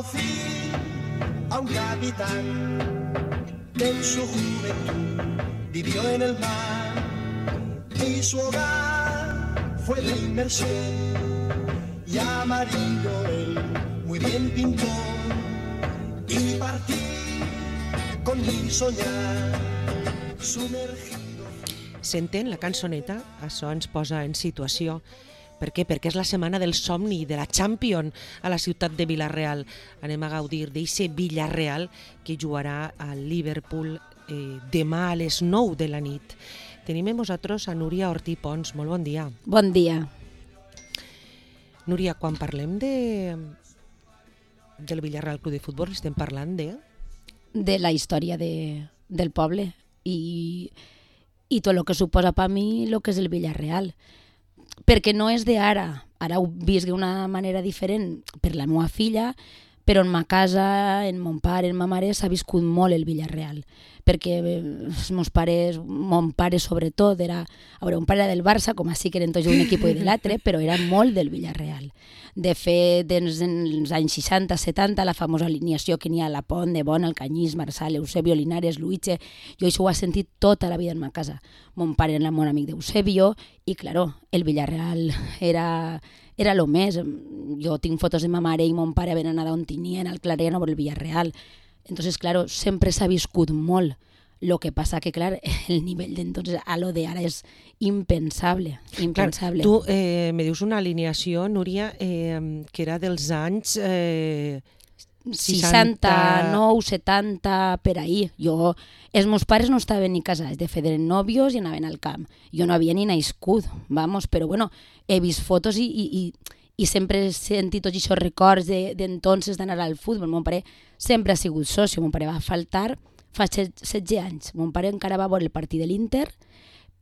Conocí a un capitán que en su juventud vivió en el mar y su hogar fue de inmersión y amarillo él muy bien pintó y partí con mi soñar sumergido. Senten la cançoneta? Això ens posa en situació. Per què? Perquè és la setmana del somni de la Champions a la ciutat de Vila-real. Anem a gaudir d'eixe Villarreal que jugarà al Liverpool demà a les 9 de la nit. Tenim amb nosaltres a Núria Ortí Pons. Molt bon dia. Bon dia. Núria, quan parlem del Villarreal Club de Futbol estem parlant de la història del poble i tot el que suposa per mi el que és el Villarreal. Perquè no és d'ara, ara ho visc d'una manera diferent per la meva filla, però en ma casa, en mon pare, en ma mare, s'ha viscut molt el Villarreal, perquè els meus pares, mon pare sobretot, un pare era del Barça, com així que eren tots un equip i de l'altre, però era molt del Villarreal. De fet, en els anys 60-70, la famosa alineació que n'hi ha a la Pont, de Bon, Alcanyís, Marsal, Eusebio, Linares, Luitge, jo això ho he sentit tota la vida en ma casa. Mon pare era molt amic d'Eusebio i, claro, el Villarreal era lo més. Jo tinc fotos de ma mare i mon pare havent anat on tenien al Clariano per el Villarreal. Entonces, claro, sempre s'ha viscut molt. Lo que passa que, clar, el nivell d'entonces a lo de ara és impensable. Impensable. Clar, tu me dius una alineació, Núria, que era dels anys 69, 70, per ahí. Els meus pares no estaven ni casats, de fet eren nòvios i anaven al camp. Jo no havia ni nascut, vamos, però bueno, he vist fotos i sempre he sentit tots aquests records d'entonces d'anar al futbol. Mon pare sempre ha sigut soci, mon pare va faltar fa 16 anys. Mon pare encara va veure el partit de l'Inter,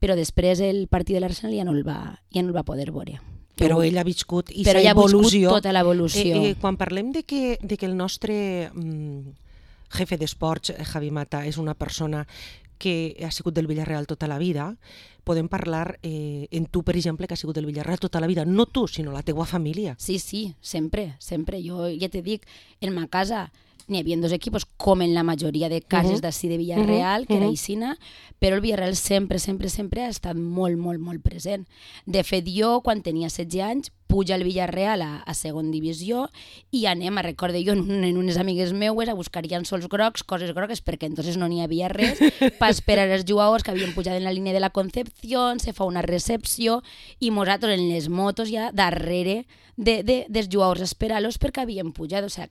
però després el partit de l'Arsenal ja no el va poder veure. Però ell ha viscut i però s'ha evolució. Però ell ha viscut tota l'evolució. Quan parlem de que el nostre jefe d'esports, Javi Mata, és una persona que ha sigut del Villarreal tota la vida, podem parlar en tu, per exemple, que ha sigut del Villarreal tota la vida. No tu, sinó la teua família. Sí, sempre. Jo ja te dic, en ma casa n'hi havia dos equipos, com en la majoria de cases d'ací de Villarreal, que era Icina, però el Villarreal sempre ha estat molt, molt, molt present. De fet, jo, quan tenia 16 anys, puja al Villarreal a segon divisió i anem, recorde jo, en unes amigues meues a buscar llençols grocs, coses grogues, perquè entonces no n'hi havia res, per esperar els jugadors que havien pujat en la línia de la Concepción, se fa una recepció i nosaltres en les motos ja darrere dels jugadors esperar-los perquè havien pujat. O sigui,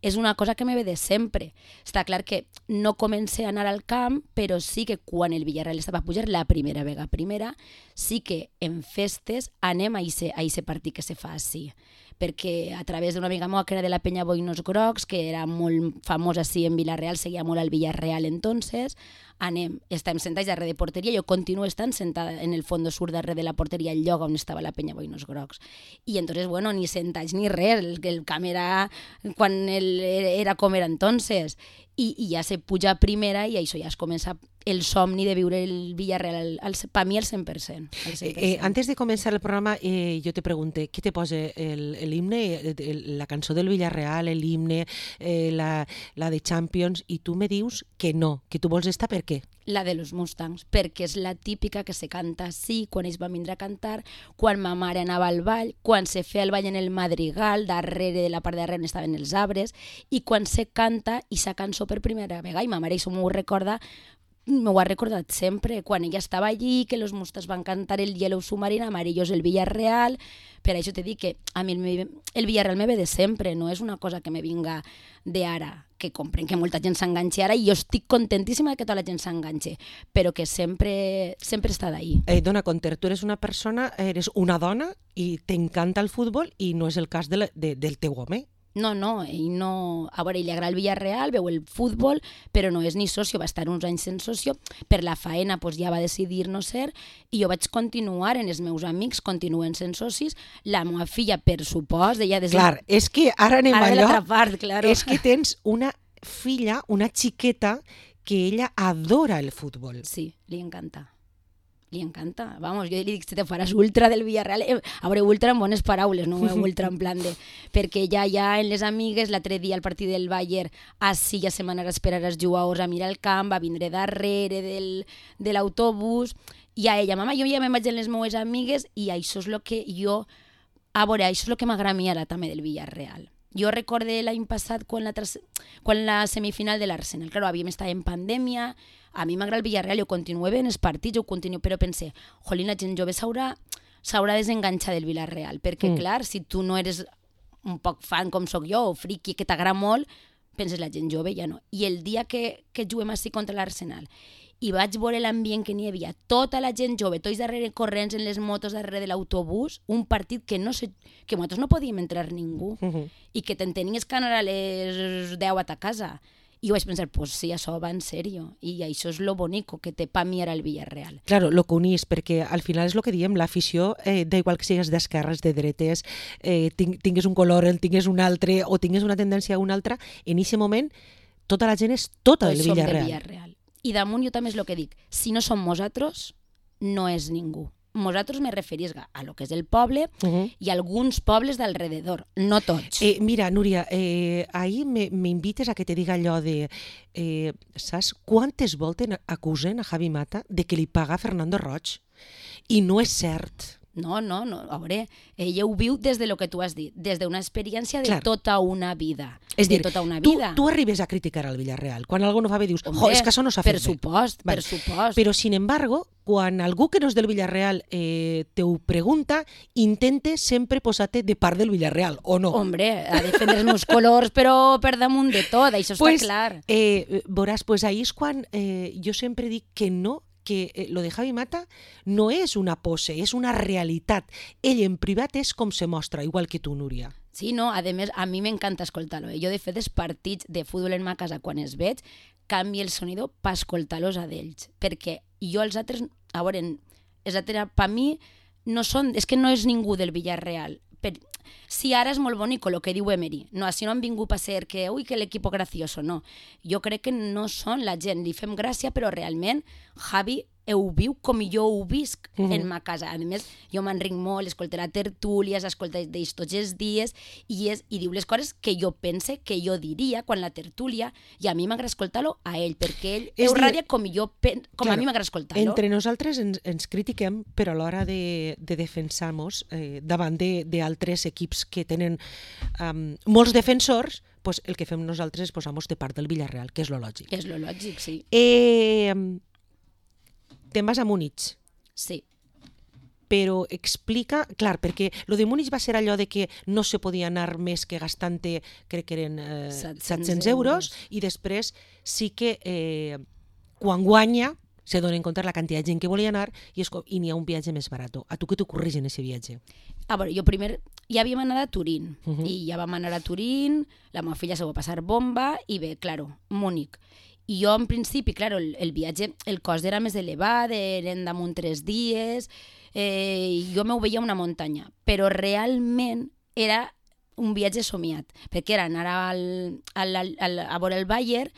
és una cosa que me ve de sempre. Està clar que no comencé a anar al camp, però sí que quan el Villarreal estava a pujar la primera vegada, sí que en festes anem a aquest partit que se fa així. Perquè a través d'una amiga meva que era de la Penya Boinos Grocs, que era molt famosa així en Vila-real, seguia molt al Villarreal entonces, estem sentats darrere de porteria, jo continuo estant sentada en el fondo sur darrere de la porteria, el lloc on estava la Penya Boinos Grocs. I entonces, bueno, ni sentats ni res, el camp era quan era com era entonces. I ja se puja a primera i això ja es comença el somni de viure el Villarreal per mi al 100%. Antes de començar el programa jo te pregunté què te posa l'himne, la cançó del Villarreal, l'himne, la de Champions, i tu me dius que no, que tu vols estar per què? La de los Mustangs, perquè és la típica que se canta així, quan ells van vindre a cantar, quan ma mare anava al ball, quan se feia el ball en el Madrigal, darrere de la part de darrere on estaven els arbres, i quan se canta i sa cançó per primera vegada, i ma mare això m'ho ha recordat sempre, quan ella estava allí, que los Mustangs van cantar el Yellow Submarine, amarillos el Villarreal. Per això te dic que a mi el Villarreal me ve de sempre, no és una cosa que me vinga d'ara, que comprenc que molta gent s'enganxa ara i jo estic contentíssima de que tota la gent s'enganxa, però que sempre està d'ahí. Dona Conter, tu eres una persona, eres una dona i t'encanta el futbol i no és el cas del teu home. No, ell no... A veure, ell li agrada el Villarreal, veu el futbol, però no és ni socio, va estar uns anys sense socio, per la faena ja va decidir no ser, i jo vaig continuar, en els meus amics continuen sent socis, la meva filla, per supost, ella... Clar, és que ara anem allò... Ara de l'altra part, claro. És que tens una filla, una xiqueta, que ella adora el futbol. Sí, li encanta. li encanta. Vamos, jo li dic, si te faràs ultra del Villarreal, a veure, ultra en bones paraules, no ultra en plan de... Perquè ja en les amigues, l'altre dia al partit del Bayern, així ja se m'anarà a esperar els jugadors a mirar el camp, va vindre darrere de l'autobús, i a ella, mama, jo ja me'n vaig amb les meues amigues, i això és el que jo... A veure, això és el que m'agrada a mi ara també del Villarreal. Jo recorde l'any passat quan la semifinal de l'Arsenal, claro, havíem estat en pandèmia, a mi m'agrada el Villarreal, jo continuo veient els partits, però pensé, jolín, la gent jove s'haurà desenganxat del Villarreal, perquè clar, si tu no eres un poc fan com sóc jo, o friqui, que t'agrada molt, penses la gent jove ja no. I el dia que juguem així contra l'Arsenal, i vaig veure l'ambient que n'hi havia, tota la gent jove, tots darrere corrents en les motos darrere de l'autobús, un partit que nosaltres no podíem entrar ningú, i que te'n tenies que anar a les 10 a ta casa. I vaig pensar, pues sí, això va en sèrio, i això és lo bonico que té pa mi ara el Villarreal. Claro, lo que unís, perquè al final és el que diem, l'afició, d'igual que sigues d'esquerres, de dretes, tingues un color, el tingues un altre, o tingues una tendència a un altre, en aquest moment tota la gent és tota del Villarreal. I damunt jo també és el que dic, si no som nosaltres, no és ningú. Nosaltres me referís a lo que és el poble i alguns pobles d'alrededor, no tots. Mira, Núria, ahir m'invites a que te diga allò de... saps quantes voltes acusen a Javi Mata de que li paga Fernando Roig? I no és cert. No, a veure, ella ho viu des de lo que tu has dit, des d'una experiència de tota una vida. És dir, tu arribes a criticar al Villarreal, quan algú no fa bé dius, és que això no s'ha fet bé. Per supost. Però, sin embargo, quan algú que no és del Villarreal te ho pregunta, intente sempre posar-te de part del Villarreal, o no? Hombre, a defendre els meus colors, però per damunt de tot, això està clar. Veuràs, ahir és quan jo sempre dic que no, que lo de Javi Mata no és una pose, és una realitat. Ell en privat és com se mostra, igual que tu, Núria. Sí, no, a més, a mi m'encanta escoltar-lo. Jo, de fet, els partits de futbol en ma casa, quan els veig, canvio el sonido per escoltar-los a d'ells. Perquè jo els altres, a veure, els altres, per mi, no són, és que no és ningú del Villarreal. Sí, ara és molt bonic el que diu Emery. No, així no han vingut a ser que l'equip gracioso, no. Jo crec que no són la gent, li fem gràcia, però realment Javi ho viu com jo ho visc en ma casa. A més, jo m'enric molt, escolto la tertúlia, escolto d'ells tots els dies i diu les coses que jo pense, que jo diria quan la tertúlia, i a mi m'agrada escoltar-lo a ell, perquè ell ho radia com a mi m'agrada escoltar-lo. Entre nosaltres ens critiquem, però a l'hora de defensar-nos davant d'altres equips que tenen molts defensors, el que fem nosaltres és posar-nos de part del Villarreal, que és lo lògic. Que és lo lògic, sí. Te'n vas a Múnich. Sí. Però explica, clar, perquè lo de Múnich va ser allò de que no se podia anar més que gastant-te, crec que eren 700 euros, i després sí que quan guanya se dona en compte la quantitat de gent que volia anar i n'hi ha un viatge més barat. A tu què t'ocorreix en aquest viatge? A veure, jo primer ja havíem anat a Turín, i ja vam anar a Turín, la meva filla se va passar bomba, i bé, claro, Múnich. I jo, en principi, claro, el viatge, el cost era més elevat, eren damunt 3 dies, jo m'ho veia una muntanya, però realment era un viatge somiat, perquè era anar a veure el Bayern,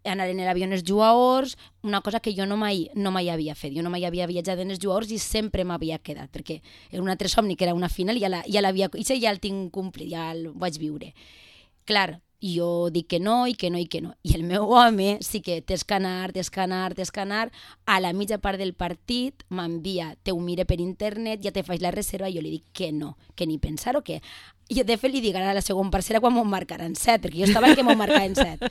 anar en l'avió en els jugadors, una cosa que jo no mai havia fet. Jo no mai havia viatjat en els jugadors i sempre m'havia quedat, perquè era un altre somni, que era una final, i ja el tinc complit, ja el vaig viure. Clar, jo dic que no, i que no, i que no. I el meu home sí que tens que anar, a la mitja part del partit m'envia, te ho mire per internet, ja te faig la reserva, i jo li dic que no, que ni pensar o què. Jo de fet li dic ara a la segona parcera quan m'ho marcaran 7, perquè jo estava que m'ho marcaven 7.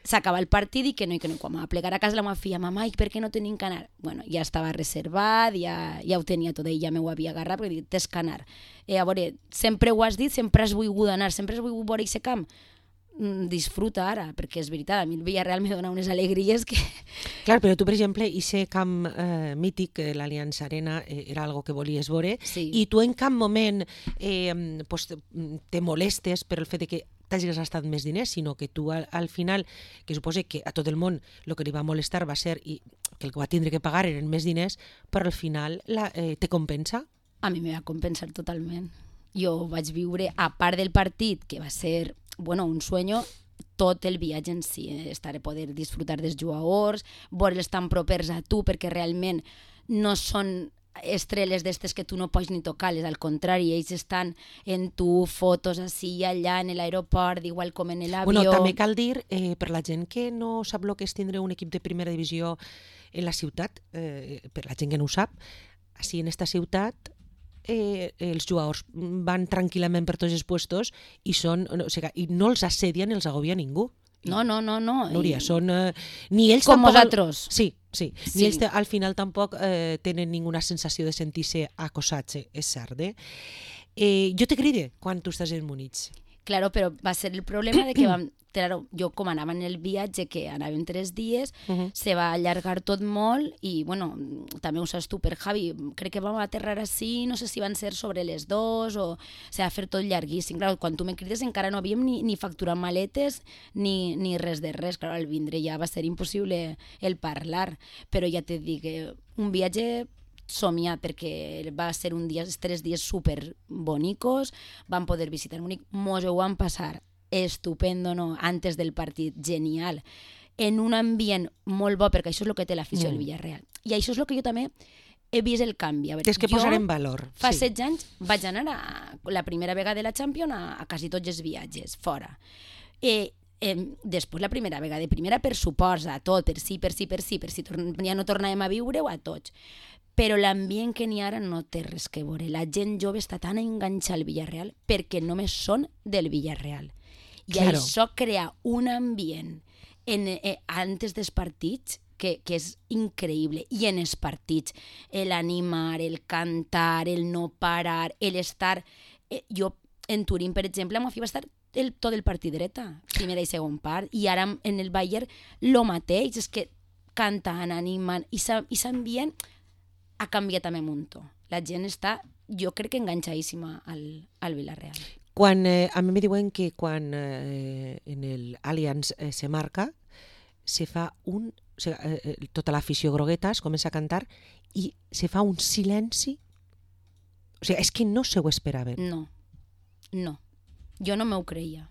S'acaba el partit i que no, quan m'ha plegar a casa la meva filla, mamà, i per què no tenim que anar? Bueno, ja estava reservat, ja ho tenia tot, ell ja m'ho havia agarrat, perquè dic, tens que anar. A veure, sempre ho has dit, sempre has volgut anar, sempre has volgut veure aquest camp. Disfruta ara, perquè és veritat, a mi el Villarreal me dona unes alegries que... Clar, però tu, per exemple, aquest camp mític, l'Allianz Arena, era algo que volies veure, i tu en cap moment te molestes per el fet que t'hagis gastat més diners, sinó que tu al final, que suposa que a tot el món el que li va molestar va ser que el que va tindre que pagar eren més diners, però al final te compensa? A mi me va compensar totalment. Jo vaig viure, a part del partit, que va ser un sueño, tot el viatge en si, estar a poder disfrutar dels jugadors, veure'ls tan propers a tu, perquè realment no són estrelles d'estes que tu no pots ni tocar-les, al contrari, ells estan en tu, fotos així i allà en l'aeroport, igual com en l'avió. Bueno, també cal dir, per la gent que no sap el que és tindre un equip de primera divisió en la ciutat, per la gent que no ho sap, així en esta ciutat els jugadors van tranquil·lament per tots els puestos i no els assedien, els agobia ningú. No. Núria, són... ni ells com tampoc... vosaltres. Sí. Ni ells al final tampoc tenen ninguna sensació de sentir-se acosats, és cert. Jo te cride quan tu estàs en Múnich. Claro, però va ser el problema de que jo com anava en el viatge, que anàvem 3 dies, se va allargar tot molt i, bueno, també ho saps tu per Javi, crec que vam aterrar així, no sé si van ser sobre les 2 o va fer tot llarguíssim. Clar, quan tu me crides encara no havíem ni facturat maletes ni res de res. Clar, al vindre ja va ser impossible el parlar, però ja te dic, un viatge somiat, perquè va ser 3 dies super bonicos, vam poder visitar Múnich, mos ho van passar estupendo, no? Antes del partit, genial, en un ambient molt bo, perquè això és el que té l'afició del Villarreal, i això és el que jo també he vist el canvi. Tens que posar en valor. Fa 16 anys vaig anar la primera vegada de la Champions a quasi tots els viatges, fora. Després la primera vegada, de primera per suposa, tot, per si ja no tornàvem a viure-ho a tots. Però l'ambient que n'hi ara no té res que veure. La gent jove està tan enganxada al Villarreal perquè només són del Villarreal. I claro, això crea un ambient antes dels partits que és increïble. I en els partits, l'animar, el cantar, el no parar, l'estar... Jo, en Turín, per exemple, amb va estar tot el partit dreta, primera i segon part, i ara en el Bayern lo mateix, és que canten, animen, i s'ambient ha canviat també un muntó. La gent està, jo crec que enganxadíssima al Villarreal. A mi me diuen que quan en el Allianz se marca, se fa tota l'afició grogueta es comença a cantar i se fa un silenci. O sigui, és que no se ho esperaven. No. Jo no m'ho creia.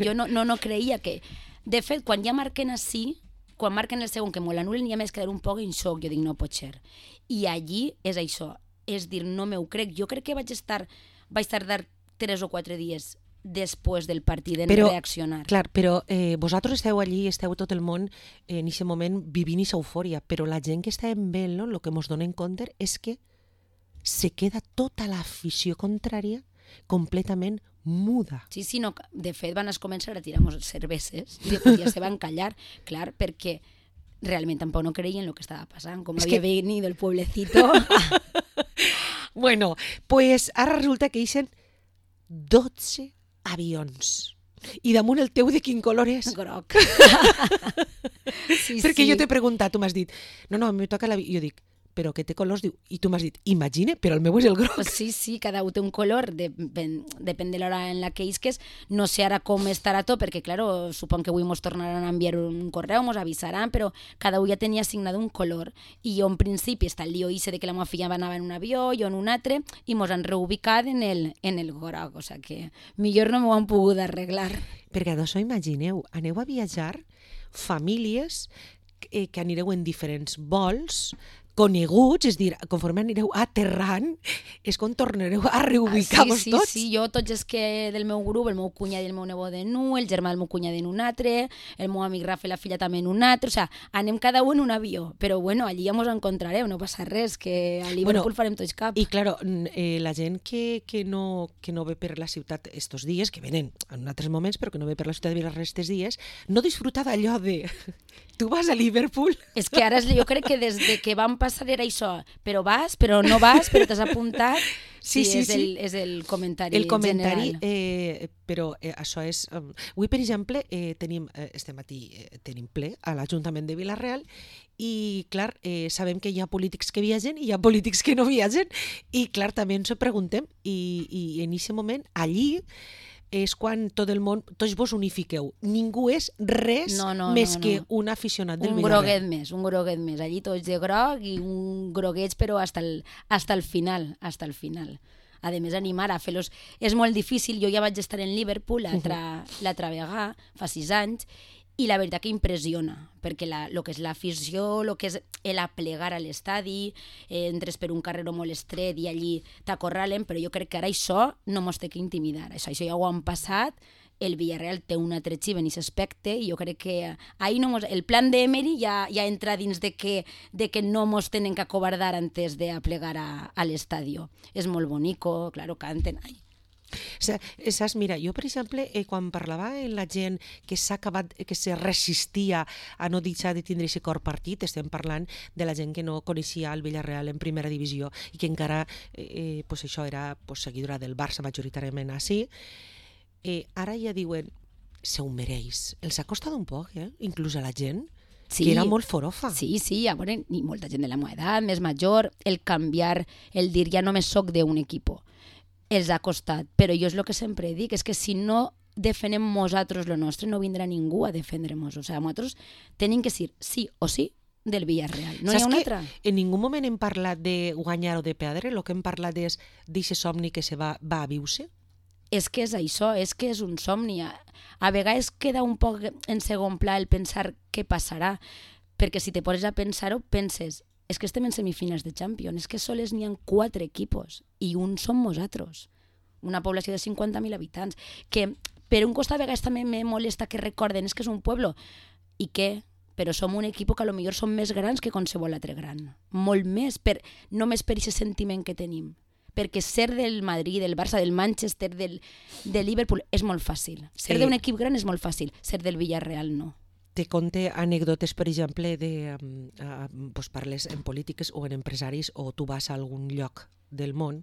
Jo no creia que... De fet, quan ja marquen així, quan marquen el segon, que me l'anulen, ja m'he quedat un poc en xoc. Jo dic, no pot ser. I allí és això, és dir, no m'ho crec. Jo crec que vaig tardar 3 o 4 dies després del partit en reaccionar. Clar, però vosaltres esteu allí, esteu tot el món en aquest moment vivint aquesta eufòria, però la gent que està en vel, no? El que ens donem compte és que se queda tota l'afició contrària completament muda. Sí, no, de fet van començar a tirar cerveses i després ja se van callar, clar, perquè realment tampoc no creien el que estava passant, com havia venido el pueblecito. Bueno, pues ara resulta que eixen 12 avions. I damunt el teu de quin color és? Groc. Perquè jo t'he preguntat, tu m'has dit, no, a mi me toca l'avió. Jo dic, però que té colors, diu, i tu m'has dit, imagina, però el meu és el groc. Sí, cada un té un color, depèn de l'hora en la que isques. No sé ara com estarà tot, perquè, claro, supon que avui ens tornaran a enviar un correu, ens avisaran, però cada un ja tenia assignat un color. I jo, en principi, està el lío de que la meva filla anava en un avió, jo en un altre, i ens han reubicat en el groc, o sigui que millor no m'ho han pogut arreglar. Perquè d'això, imagineu, aneu a viatjar famílies que anireu en diferents vols, coneguts, és dir, conforme anireu aterrant, és quan tornareu a reubicar-vos tots. Sí, jo tots els que del meu grup, el meu cunyat i el meu nebot en un, el germà del meu cunyat en un altre, el meu amic Rafa i la filla també en un altre, o sigui, anem cada un en un avió, però bueno, allí ja ens encontrarem, no passa res, que a Liverpool farem tots cap. I claro, la gent que no ve per la ciutat estos dies, que venen en altres moments, però que no ve per la ciutat de Vilarre estos dies, no disfruta d'allò de... Tu vas a Liverpool? És que ara jo crec que des que vam passar era això, però vas, però no vas, però t'has apuntat. Sí. És el comentari general. El comentari, però això és... Avui, per exemple, este matí tenim ple a l'Ajuntament de Vila-real i, clar, sabem que hi ha polítics que viatgen i hi ha polítics que no viatgen i, clar, també ens ho preguntem i en aquest moment, allí, és quan tot el món, tots vos unifiqueu. Ningú és res més que un aficionat del Villarreal. Un groguet més. Allí tots de groc i un groguets, però hasta el final. a més animar a fer-los. És molt difícil, jo ja vaig estar en Liverpool l'altra vegada, fa 6 anys, i la veritat que impressiona, perquè el que és l'afició, el que és l'aplegar a l'estadi, entres per un carreró molt estret i allí t'acorralen, però jo crec que ara això no mos té que intimidar, això ja ho han passat, el Villarreal té un altre xiv en aquest aspecte i jo crec que el plan d'Emery ja entra dins de que no mos tenen que acobardar antes d'aplegar a l'estadio. És molt bonico, claro, canten... Saps, mira, jo per exemple quan parlava amb la gent que se resistia a no deixar de tindre aquest cor partit, estem parlant de la gent que no coneixia el Villarreal en primera divisió i que encara això era seguidora del Barça majoritàriament així, ara ja diuen se ho mereix, els ha costat un poc, inclús a la gent. Sí, que era molt forofa. Sí, a veure, i molta gent de la meva edat, més major, el canviar, el dir ja només soc d'un equip, els ha costat, però jo és el que sempre dic, és que si no defenem nosaltres lo nostre, no vindrà ningú a defendre-nos. O sigui, nosaltres tenim que ser sí o sí del Villarreal. No hi ha una altra. En ningú moment hem parlat de guanyar o de perdre, el que hem parlat és d'aquest somni que se va a viure. És que és això, és que és un somni. A vegades queda un poc en segon pla el pensar què passarà, perquè si te poses a pensar-ho, penses... És que estem en semifinals de Champions, és que sols n'hi ha 4 equipos i un som nosaltres, una població de 50.000 habitants, que per un costat a vegades també me molesta que recorden, és que és un pueblo, i què? Però som un equip que potser som més grans que qualsevol altre gran, molt més, només per aquest sentiment que tenim, perquè ser del Madrid, del Barça, del Manchester, del Liverpool és molt fàcil, ser d'un equip gran és molt fàcil, ser del Villarreal no. Te conte anècdotes, per exemple, parles en polítiques o en empresaris o tu vas a algun lloc del món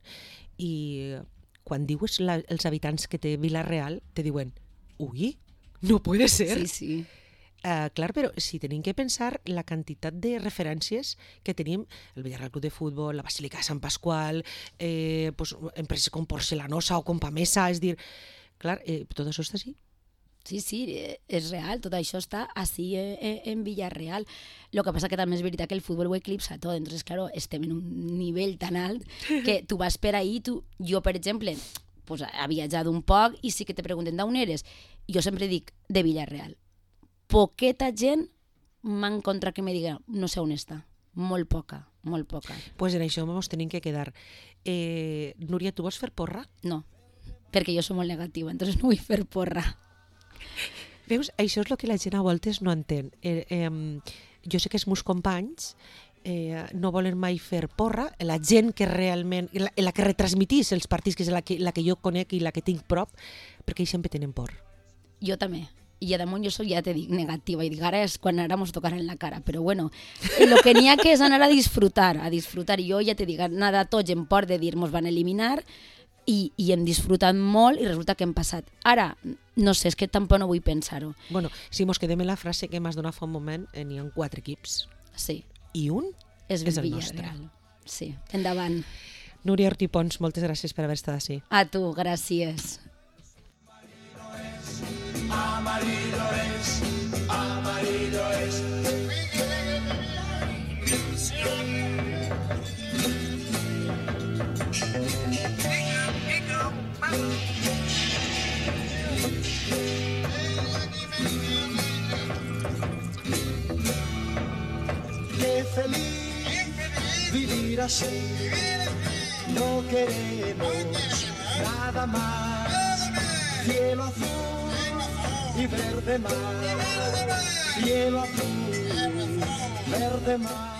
i quan dius els habitants que té Villarreal te diuen, ui, no puede ser. Sí. Clar, però si tenim que pensar la quantitat de referències que tenim, el Villarreal Club de Futbol, la Basílica de Sant Pasqual, empreses com Porcelanosa o com Pamesa, és dir, clar, tot això està així. Sí, és real, tot això està així en Villarreal. El que passa que també és veritat que el futbol ho eclipsa tot, entonces, claro, estem en un nivell tan alt que tu vas per ahí, jo, per exemple, he viatjat un poc i sí que te pregunten d'on eres. Jo sempre dic de Villarreal. Poqueta gent m'ha encontrat que me diga no sé on està. Molt poca. Pues en això ens tenim que quedar. Núria, tu vols fer porra? No, perquè jo soc molt negativa, entonces no vull fer porra. Veus, això és el que la gent a voltes no entén. Jo sé que els meus companys no volen mai fer porra, la gent que realment, la que retransmitís els partits, que és la que jo conec i la que tinc prop, perquè ells sempre tenen por. Jo també. I a damunt jo soc, ja te dic, negativa, i dic, ara és quan ara mos tocarà en la cara, però bueno, el que n'hi ha que és anar a disfrutar, i jo ja te dic, nada tots en por de dir, mos van eliminar, i hem disfrutat molt i resulta que hem passat. Ara, no sé, és que tampoc no vull pensar-ho. Bueno, si mos quedem en la frase que m'has donat fa un moment, n'hi ha 4 equips. Sí. I un és el nostre. Sí, endavant. Núria Ortí Pons, moltes gràcies per haver estat així. A tu, gràcies. Amarillo es. Qué feliz vivir así, no queremos nada más. Cielo azul y verde mar, cielo azul, verde mar.